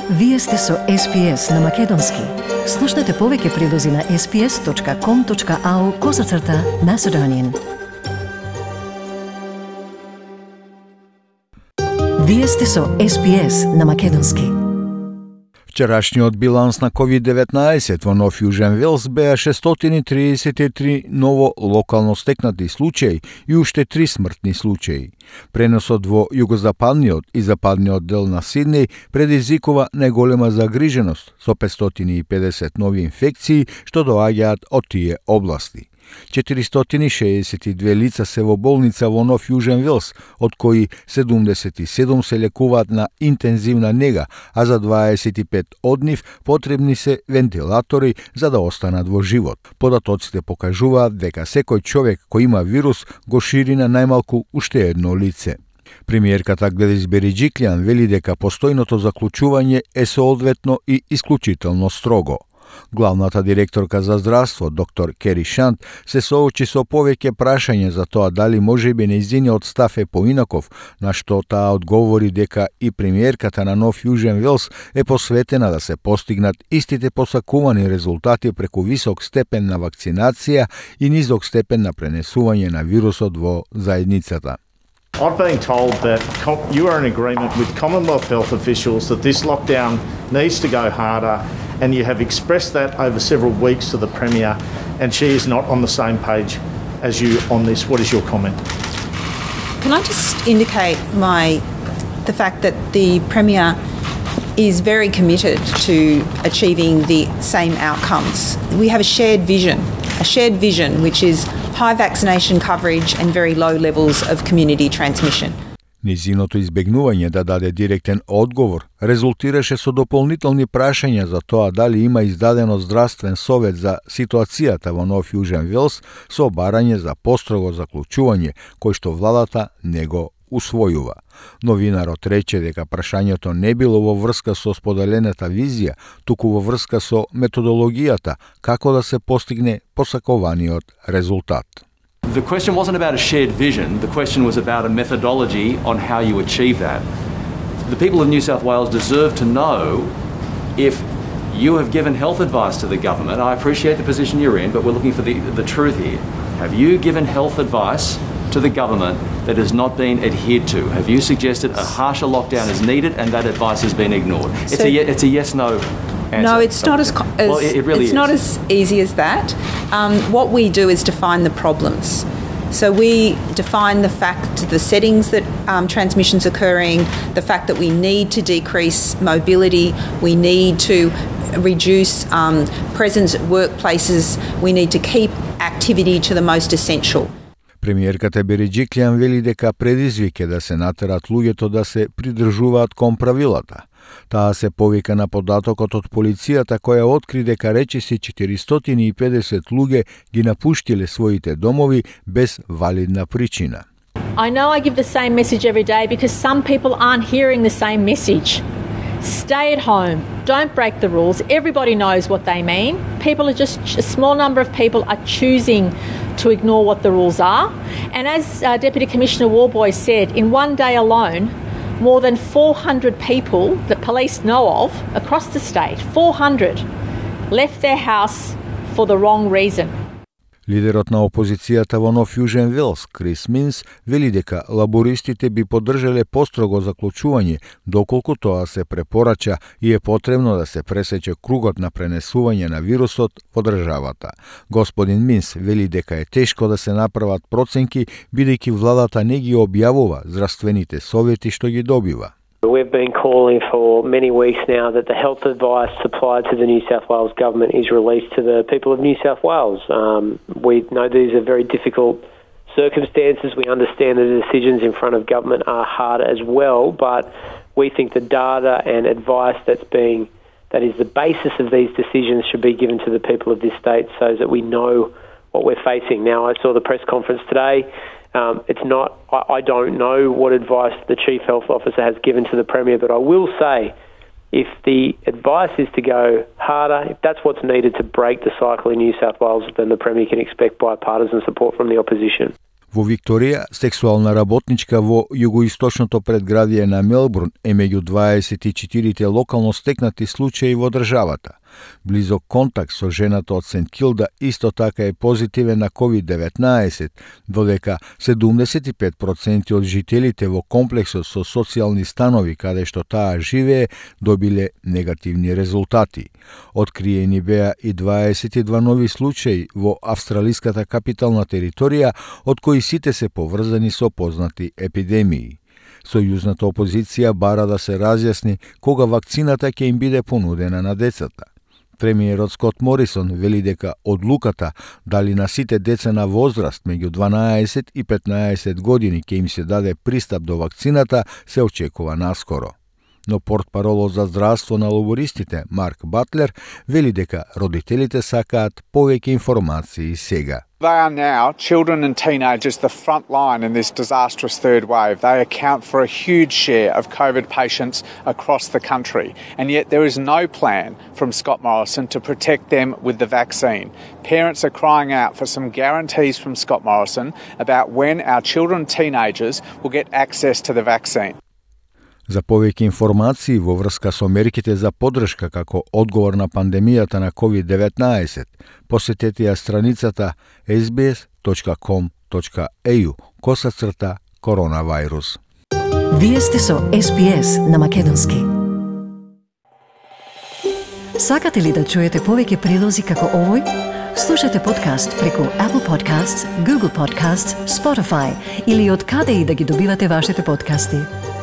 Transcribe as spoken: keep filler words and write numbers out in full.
Вие сте со Ес Пи Ес на Македонски. Слушнете повеќе прилози на ес пи ес точка ком точка ау козацрта Macedonian. Вие сте со Ес Пи Ес на Македонски. Вчерашниот биланс на ковид деветнаесет во Нов Јужен Велс беа шестстотини и триесет и три ново локално стекнати случаи и уште три смртни случаи. Преносот во југозападниот и западниот дел на Сиднеј предизвикува најголема загриженост со петстотини и педесет нови инфекции што доаѓаат од тие области. четиристотини и шеесет и две лица се во болница во Нов Јужен Велс, од кои седумдесет и седум се лекуваат на интензивна нега, а за дваесет и пет од нив потребни се вентилатори за да останат во живот. Податоците покажуваат дека секој човек кој има вирус го шири на најмалку уште едно лице. Премиерката Гледис Бериџиклијан вели дека постојното заклучување е соодветно и исклучително строго. Главната директорка за здравство, доктор Кери Шант, се соочи со повеќе прашања за тоа дали можеби нејзиниот став е поинаков, на што таа одговори дека и премиерката на Нов Јужен Велс е посветена да се постигнат истите посакувани резултати преку висок степен на вакцинација и низок степен на пренесување на вирусот во заедницата. I've been told that you are in agreement with Commonwealth health officials that this lockdown needs to go harder, and you have expressed that over several weeks to the Premier, and she is not on the same page as you on this. What is your comment? Can I just indicate my the fact that the Premier is very committed to achieving the same outcomes. We have a shared vision, a shared vision which is high vaccination coverage and very low levels of community transmission. Низиното избегнување да даде директен одговор резултираше со дополнителни прашања за тоа дали има издадено здравствен совет за ситуацијата во Нов Јужен Велс со барање за построго заклучување, кој што владата не го усвојува. Новинарот рече дека прашањето не било во врска со споделената визија, туку во врска со методологијата како да се постигне посакуваниот резултат. The question wasn't about a shared vision, the question was about a methodology on how you achieve that. The people of New South Wales deserve to know if you have given health advice to the government. I appreciate the position you're in, but we're looking for the, the truth here. Have you given health advice to the government that has not been adhered to? Have you suggested a harsher lockdown is needed and that advice has been ignored? It's, So- a, ye- it's a yes-no answer. No, it's not as, co- as Well, it, it really it's is. not as easy as that. Um, what we do is define the problems. So we define the fact, the settings that um, transmission's occurring, the fact that we need to decrease mobility, we need to reduce um, presence at workplaces, we need to keep activity to the most essential. Премиерката Бериџиклијан вели дека предизвик е да се натерат луѓето да се придржуваат кон правилата. Таа се повика на податокот од полицијата која откри дека речиси четиристотини и педесет луѓе ги напуштиле своите домови без валидна причина. I know I give the same message every day because some people aren't hearing the same message. Stay at home. Don't break the rules. Everybody knows what they mean. People are just, a small number of people are choosing to ignore what the rules are. And as uh, Deputy Commissioner Warboy said, in one day alone, more than four hundred people that police know of across the state, four hundred, left their house for the wrong reason. Лидерот на опозицијата во Нов Јужен Велс, Крис Минс, вели дека лабористите би поддржале построго заклучување доколку тоа се препорача и е потребно да се пресече кругот на пренесување на вирусот во државата. Господин Минс вели дека е тешко да се направат проценки бидејќи владата не ги објавува здравствените совети што ги добива. We've been calling for many weeks now that the health advice supplied to the New South Wales government is released to the people of New South Wales. Um, we know these are very difficult circumstances. We understand that the decisions in front of government are hard as well, but we think the data and advice that's being, that is the basis of these decisions should be given to the people of this state so that we know what we're facing. Now, I saw the press conference today. Um, it's not, I, I don't know what advice the Chief Health Officer has given to the Premier, but I will say if the advice is to go harder, if that's what's needed to break the cycle in New South Wales, then the Premier can expect bipartisan support from the opposition. Во Викторија, сексуална работничка во југоисточното предградие на Мелбурн е меѓу дваесет и четирите локално стекнати случаи во државата. Близок контакт со жената од Сент Килда исто така е позитивен на ковид деветнаесет, додека седумдесет и пет проценти од жителите во комплексот со социјални станови каде што таа живее добиле негативни резултати. Откриени беа и дваесет и два нови случаи во австралиската капитална територија, од кои сите се поврзани со познати епидемии. Сојузната опозиција бара да се разјасни кога вакцината ќе им биде понудена на децата. Премиерот Скот Морисон вели дека одлуката дали на сите деца на возраст меѓу дванаесет и петнаесет години ќе им се даде пристап до вакцината се очекува наскоро. Но портпаролот за здравство на лабористите Марк Батлер вели дека родителите сакаат повеќе информации сега. They are now, children and teenagers, the front line in this disastrous third wave. They account for a huge share of COVID patients across the country. And yet there is no plan from Scott Morrison to protect them with the vaccine. Parents are crying out for some guarantees from Scott Morrison about when our children and teenagers will get access to the vaccine. За повеќе информации во врска со мерките за поддршка како одговор на пандемијата на ковид деветнаесет, посетете ја страницата ес би ес точка ком точка е ю косацрта коронавирус. Вие сте со Ес Би Ес на Македонски. Сакате ли да чуете повеќе прилози како овој? Слушате подкаст преку Apple Podcasts, Google Podcasts, Spotify или од каде и да ги добивате вашите подкасти.